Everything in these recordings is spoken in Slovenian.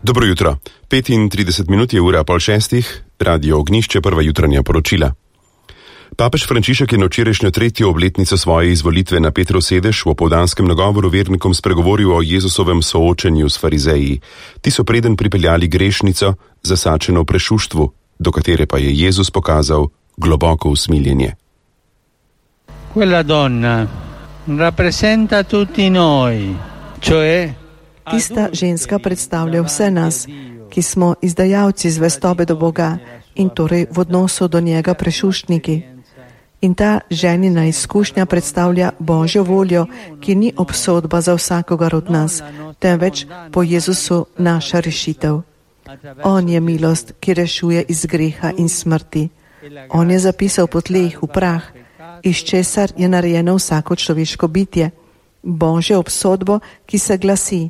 Dobro jutro. 35 minut je ura 5:30, Radio Ognjišče, prva jutranja poročila. Papež Frančišek je na včerajšnjo 3. obletnico svoje izvolitve na Petrov sedež v opoldanskem nagovoru vernikom spregovoril o Jezusovem soočenju s farizeji. Ti so preden pripeljali grešnico, zasačeno v prešuštvu, do katere pa je Jezus pokazal globoko usmiljenje. Quella donna rappresenta tutti noi, cioè Tista ženska predstavlja vse nas, ki smo izdajalci zvestobe do Boga in torej v odnosu do njega prešuštniki. In ta ženina izkušnja predstavlja Božjo voljo, ki ni obsodba za vsakogar od nas, temveč po Jezusu naša rešitev. On je milost, ki rešuje iz greha in smrti. On je zapisal po tleh v prah, iz česar je narejeno vsako človeško bitje. Božjo obsodbo, ki se glasi: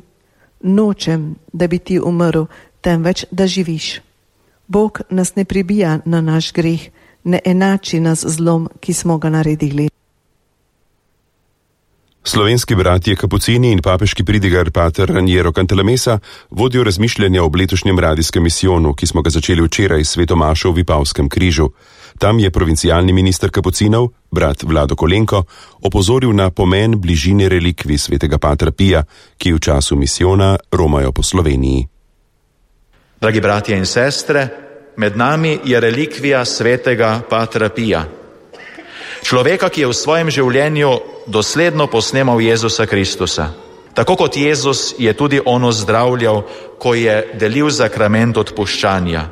nočem, da bi ti umrl, temveč da živiš. Bog nas ne pribija na naš greh, ne enači nas zlom, ki smo ga naredili. Slovenski bratje Kapucini in papeški pridigar pater Raniero Cantalamessa vodijo razmišljanja ob letošnjem radijskem misijonu, ki smo ga začeli včeraj s sveto mašo v Vipavskem križu. Tam je provincialni minister Kapucinov, brat Vlado Kolenko, opozoril na pomen bližine relikvij svetega patra Pija, ki v času misijona romajo po Sloveniji. Dragi bratje in sestre, med nami je relikvija svetega patra Pija. Človeka, ki je v svojem življenju dosledno posnemal Jezusa Kristusa. Tako kot Jezus je tudi on ozdravljal, ko je delil sakrament odpuščanja.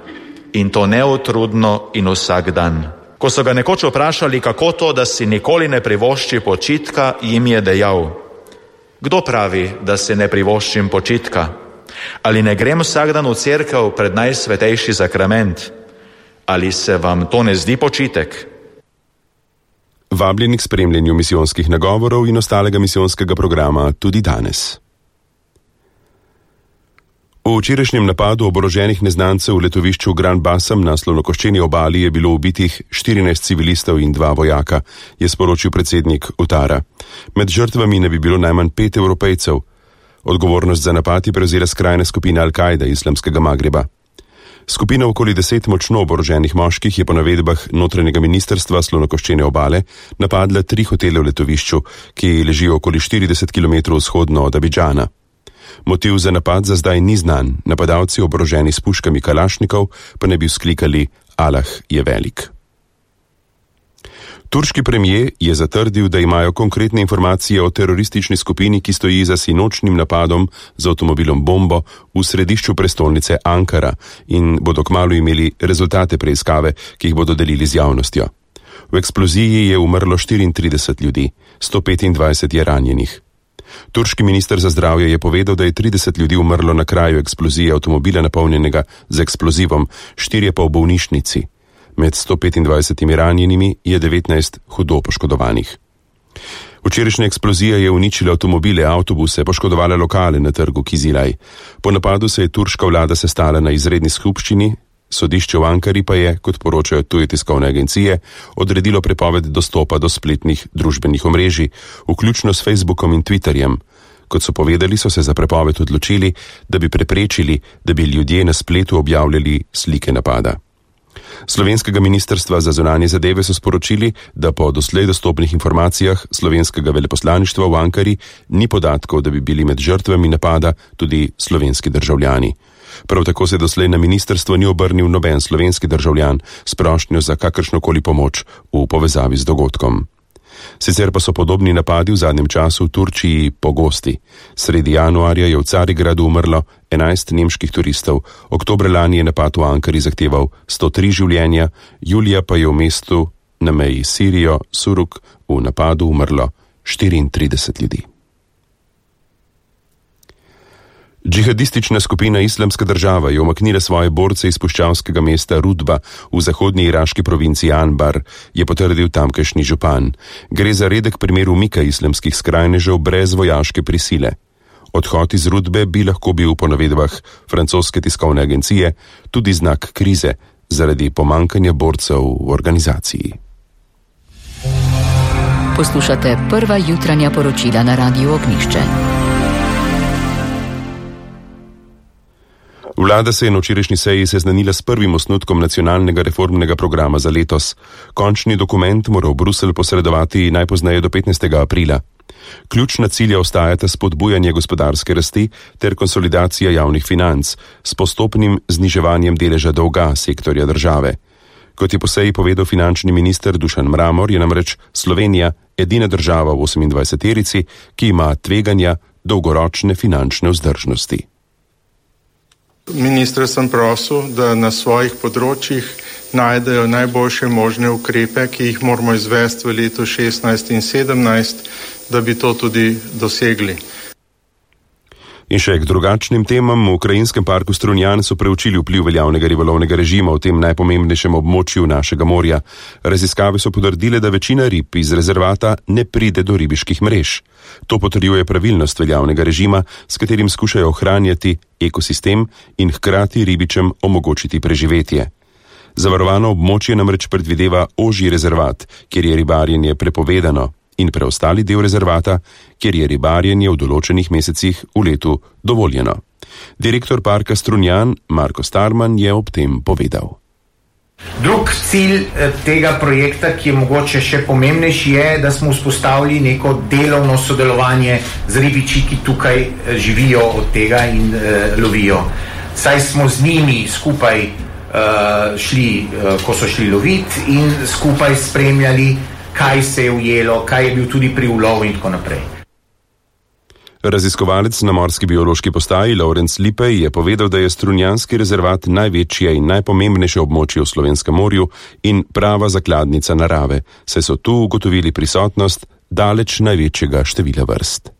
In to neutrudno in vsak dan. Ko so ga nekoč vprašali, kako to, da si nikoli ne privošči počitka, jim je dejal: kdo pravi, da si ne privoščim počitka? Ali ne grem vsak dan v cerkev pred najsvetejši sakrament? Ali se vam to ne zdi počitek? Vabljeni k spremljanju misijonskih nagovorov in ostalega misijonskega programa tudi danes. V včerajšnjem napadu oboroženih neznancev v letovišču Gran Bassam na slonokoščeni obali je bilo ubitih 14 civilistov in 2 vojaka, je sporočil predsednik Utara. Med žrtvami ne bi bilo najmanj 5 Evropejcev. Odgovornost za napad je prevzela skrajna skupina Al-Kaide islamskega Magreba. Skupina okoli 10 močno oboroženih moških je po navedbah notranjega ministrstva slonokoščene obale napadla 3 hotele v letovišču, ki ležijo okoli 40 km vzhodno od Abidžana. Motiv za napad za zdaj ni znan, napadalci oboroženi s puškami kalašnikov pa ne bi vzklikali: Allah je velik. Turški premijer je zatrdil, da imajo konkretne informacije o teroristični skupini, ki stoji za sinočnim napadom z avtomobilom bombo v središču prestolnice Ankara in bodo kmalu imeli rezultate preiskave, ki jih bodo delili z javnostjo. V eksploziji je umrlo 34 ljudi, 125 je ranjenih. Turški minister za zdravje je povedal, da je 30 ljudi umrlo na kraju eksplozije avtomobila napolnjenega z eksplozivom, 4 pa v bolnišnici. Med 125 ranjenimi je 19 hudo poškodovanih. Včerajšnja eksplozija je uničila avtomobile, avtobuse, poškodovala lokale na trgu Kizilaj. Po napadu se je turška vlada sestala na izredni skupščini, sodišče v Ankari pa je, kot poročajo tuje tiskovne agencije, odredilo prepoved dostopa do spletnih družbenih omrežij, vključno s Facebookom in Twitterjem. Kot so povedali, so se za prepoved odločili, da bi preprečili, da bi ljudje na spletu objavljali slike napada. Slovenskega ministrstva za zunanje zadeve so sporočili, da po doslej dostopnih informacijah slovenskega veleposlaništva v Ankari ni podatkov, da bi bili med žrtvami napada tudi slovenski državljani. Prav tako se doslej na ministrstvo ni obrnil noben slovenski državljan s prošnjo za kakršnokoli pomoč v povezavi z dogodkom. Sicer pa so podobni napadi v zadnjem času v Turčiji pogosti. Sredi januarja je v Carigradu umrlo 11 nemških turistov, oktobra lani je napad v Ankari zahteval 103 življenja, julija pa je v mestu na meji s Sirijo, Suruk, v napadu umrlo 34 ljudi. Džihadistična skupina Islamska država je umaknila svoje borce iz puščavskega mesta Rudba v zahodnji iraški provinci Anbar, je potrdil tamkajšnji župan. Gre za redek primer umika islamskih skrajnežev brez vojaške prisile. Odhod iz Rudbe bi lahko bil po navedbah francoske tiskovne agencije tudi znak krize zaradi pomankanja borcev v organizaciji. Poslušate prva jutranja poročila na Radiu Ognjišče. Vlada se je na včerajšnji seji seznanila s prvim osnutkom nacionalnega reformnega programa za letos. Končni dokument mora v Bruselj posredovati najpozneje do 15. aprila. Ključna cilja ostajata spodbujanje gospodarske rasti ter konsolidacija javnih financ s postopnim zniževanjem deleža dolga sektorja države. Kot je po seji povedal finančni minister Dušan Mramor, je namreč Slovenija edina država v 28-terici, ki ima tveganja dolgoročne finančne vzdržnosti. Ministra sem prosil, da na svojih področjih najdejo najboljše možne ukrepe, ki jih moramo izvesti v letu 16 in 17, da bi to tudi dosegli. In še k drugačnim temam. V ukrajinskem parku Strunjan so preučili vpliv veljavnega ribolovnega režima v tem najpomembnejšem območju našega morja. Raziskave so potrdile, da večina rib iz rezervata ne pride do ribiških mrež. To potrjuje pravilnost veljavnega režima, s katerim skušajo ohranjati ekosistem in hkrati ribičem omogočiti preživetje. Zavarovano območje namreč predvideva ožji rezervat, kjer je ribarjenje prepovedano, in preostali del rezervata, kjer je ribarjenje v določenih mesecih v letu dovoljeno. Direktor parka Strunjan Marko Starman je ob tem povedal. Drug cilj tega projekta, ki je mogoče še pomembnejši, je, da smo vzpostavili neko delovno sodelovanje z ribiči, ki tukaj živijo od tega in lovijo. Saj smo z njimi skupaj šli, ko so šli loviti, in skupaj spremljali, kaj se je ujelo, kaj je bil tudi pri ulovu in tako naprej. Raziskovalec na morski biološki postaji Lorenc Lipej je povedal, da je Strunjanski rezervat največje in najpomembnejše območje v Slovenskem morju in prava zakladnica narave, saj so tu ugotovili prisotnost daleč največjega števila vrst.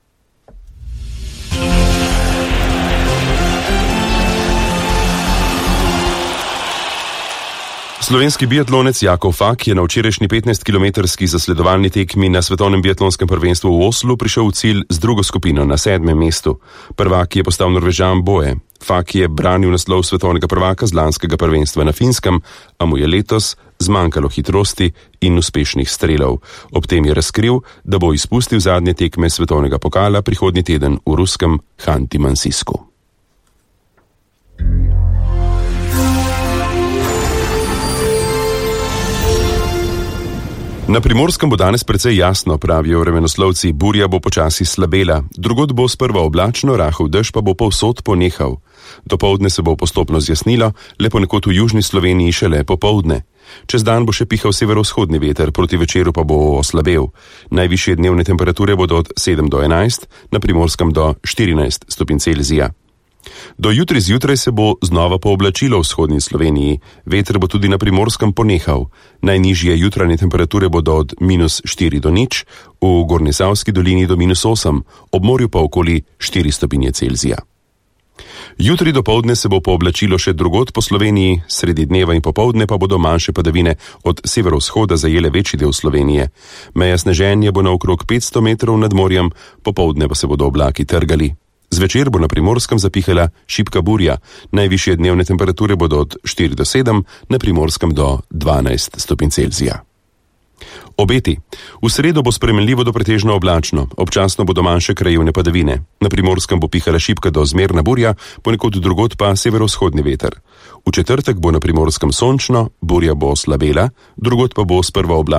Slovenski biatlonec Jakov Fak je na včerajšnji 15-kilometrski zasledovalni tekmi na svetovnem biatlonskem prvenstvu v Oslu prišel v cilj z drugo skupino na 7. mestu. Prvak je postal Norvežan Boje. Fak je branil naslov svetovnega prvaka z lanskega prvenstva na Finskem, a mu je letos zmanjkalo hitrosti in uspešnih strelov. Ob tem je razkril, da bo izpustil zadnje tekme svetovnega pokala prihodnji teden v ruskem Hanti-Mansijsku. Na Primorskem bo danes precej jasno, pravijo vremenoslovci, burja bo počasi slabela, drugod bo sprva oblačno, rahel dež pa bo povsod ponehal. Dopoldne se bo postopno zjasnilo, le ponekod v južni Sloveniji šele popoldne. Čez dan bo še pihal severovzhodni veter, proti večeru pa bo oslabel. Najvišje dnevne temperature bodo od 7 do 11, na Primorskem do 14 stopinj Celzija. Do jutri zjutraj se bo znova pooblačilo v vzhodni Sloveniji, veter bo tudi na Primorskem ponehal. Najnižje jutranje temperature bodo od -4 do 0, v Gornjesavski dolini do -8, ob morju pa okoli 4 stopinje Celzija. Jutri dopoldne se bo pooblačilo še drugod po Sloveniji, sredi dneva in popoldne pa bodo manjše padavine od severovzhoda zajele večji del Slovenije. Meja sneženja bo na okrog 500 metrov nad morjem, popoldne pa se bodo oblaki trgali. Zvečer bo na Primorskem zapihala šibka burja, najvišje dnevne temperature bodo od 4 do 7, na Primorskem do 12 stopinj Celzija. Obeti. V sredo bo spremenljivo do pretežno oblačno, občasno bodo manjše krajevne padavine. Na Primorskem bo pihala šibka do zmerna burja, ponekod drugod pa severovzhodni veter. V četrtek bo na Primorskem sončno, burja bo slabela, drugod pa bo sprva oblačno.